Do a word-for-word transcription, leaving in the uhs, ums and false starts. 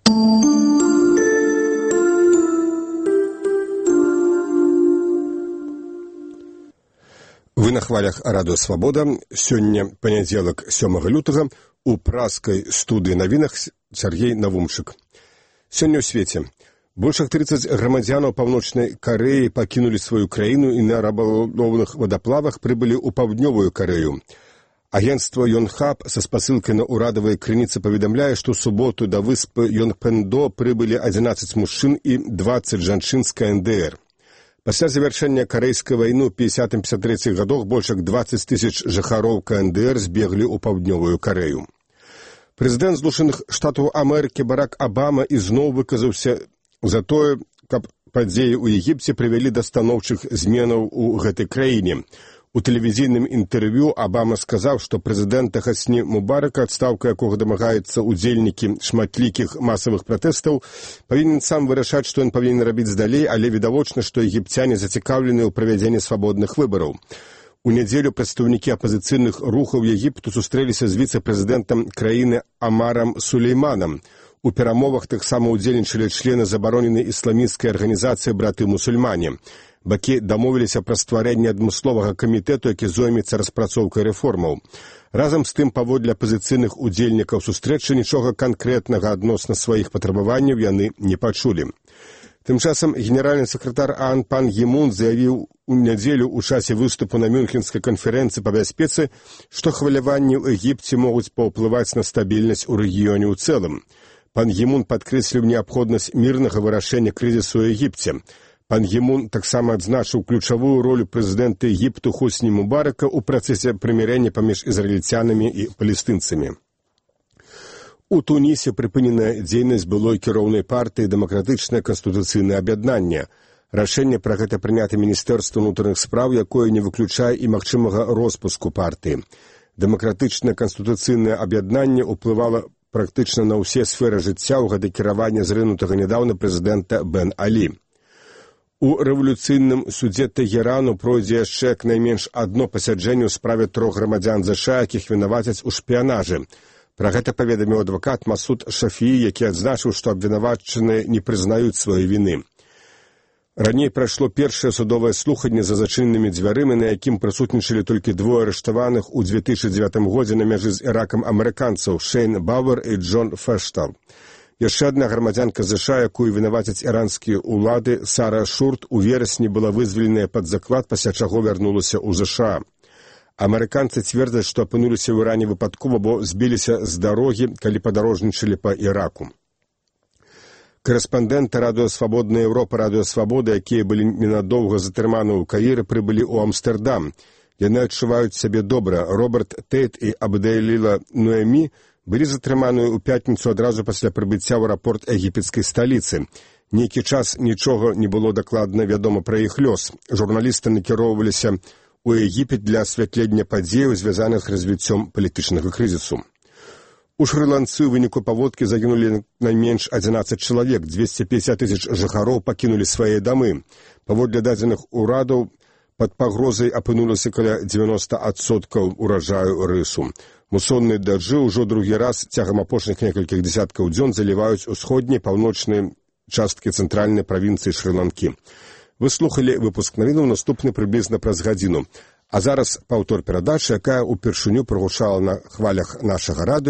Вы на хвалях радыё «Свабода». Сёння панядзелак сёмага лютага. У праскай студыі навінах Сяргей Навумчык. Сёння ў свеце. Больш як трыццаць грамадзянаў Паўночнай Карэі пакінулі сваю краіну і на рабалоўных вадаплавах прыбылі ў Паўднёвую Карэю. Агенцтва Йонхап са спасылкай на ўрадавыя крыніцы паведамляе, што ў суботу да выспы Йонпэндо прыбылі адзінаццаць мужчын і дваццаць жанчын з ка эн дэ эр. Пасля завяршэння карэйскай вайны ў пятьдесятым пятьдесят трэцім гадах больш як дваццаць тысяч жыхароў ка эн дэ эр збеглі ў Паўднёвую Карэю. Прэзідэнт Злучаных Штатаў Амерыкі Барак Абама ізноў выказаўся за тое, каб падзеі ў Егіпце прывялі да станоўчых зменаў у гэтай краіне. У тэлевізійным інтэрв'ю Абама сказаў, што прэзідэнта Хасні Мубарака, адстаўка якога дамагаецца удзельнікі шматлікіх масавых пратэстаў, павінен сам вырашаць, што ён павінен рабіць далей, але відавочна, што егіпцяне зацікаўлены ў правядзенні свабодных выбараў. У нядзелю прадстаўнікі апазіцыйных рухаў Егіпту сустрэліся з віцэ-прэзідэнтам краіны Амарам Сулейманам. У перамовах таксама ўдзельнічалі члены забароненай ісламісцкай арганізацыі «Браты-мусульмане». Бакі дамовіліся пра стварэнне адмысловага камітэту, які зоймецца распрацоўкай рэформаў. Разам з тым, паводле апазіцыйных удзельнікаў сустрэчы, нічога канкрэтнага адносна сваіх патрабаванняў яны не пачулі. Тым часам генеральны сакратар ААН пан Гі-мун заявіў у нядзелю ў часе выступу на Мюнхенскай канферэнцыі па бяспецы, што хваляванні ў Егіпце могуць паўплываць на стабільнасць у рэгіёне ў цэлым. Пан Гі-мун падкрэсліў неабходнасць мірнага вырашэння крызісу ў Егіпце. Пан Гі-мун таксама адзначыў ключавую ролю прэзідэнта Егіпту Хосні Мубарака ў працэсе прымірэння паміж ізраільцянамі і палестынцамі. У Тунісе прыпынена дзейнасць былой кіроўнай партыі «Дэмакратычнае канстытуцыйнае аб'яднанне». Рашэнне пра гэта прынята Міністэрства ўнутраных спраў, якое не выключае і магчымага роспуску партыі. Дэмакратычнае канстытуцыйнае аб'яднанне ўплывала практычна на ўсе сферы жыцця ў гады кіравання зрынутага нядаўна прэзідэнта Бен Алі. У рэвалюцыйным судзе Тэгерану пройдзе яшчэ як найменш адно пасяджэнне ў справе трох грамадзян ЗША, якіх вінавацяць у шпіянажы. Пра гэта паведаміў адвакат Масуд Шафіі, які адзначыў, што абвінавачаныя не прызнаюць сваёй віны. Раней прайшло першае судовае слуханне за зачыненымі дзвярымі, на якім прысутнічалі толькі двое арыштаваных у две тысячы дзевятым годзе на мяжы з Іракам амерыканцаў Шэйн Бауэр і Джон Фэштал. Яшчэ адна грамадзянка ЗША, якую вінавацяць іранскія ўлады, Сара Шурт, у верасні была вызваленая пад заклад, пасля чаго вярнулася ў ЗША. Амерыканцы цвердзяць, што апынуліся ў Іране выпадкова, бо збіліся з дарогі, калі падарожнічалі па Іраку. Корэспандэнты радыё «Свабодная Еўропа», радыё «Свабода», якія былі ненадоўга затрыманы ў Каіры, прыбылі ў Амстэрдам. Яны адчуваюць сябе добра. Роберт Тейт і Абдэліла Нуэмі былі затрыманыя ў пятніцу адразу пасля прыбыцця ў аэрапорт егіпецкай сталіцы. Нейкі час нічога не было дакладна вядома пра іх лёс. Журналісты накіроўваліся ў Егіпет для асвятлення падзеяў, звязаных з развіццём палітычнага крызісу. У Шры-Ланцы ў выніку паводкі загінулі найменш адзінаццаць чалавек, дзвесце пятьдесят тысяч жыхароў пакінулі свае дамы. Паводле дадзеных урадаў, пад пагрозай апынулася каля дзевяноста адсоткаў ураджаю рысу. Мусонныя дажджы ўжо другі раз цягам апошніх некалькіх дзесяткаў дзён заліваюць усходнія паўночныя часткі цэнтральнай правінцыі Шры-Ланкі. Вы слухалі выпуск навінаў, наступны прыблізна праз гадзіну. А зараз паўтор перадачы, якая ўпершыню прагучала на хвалях нашага радыё.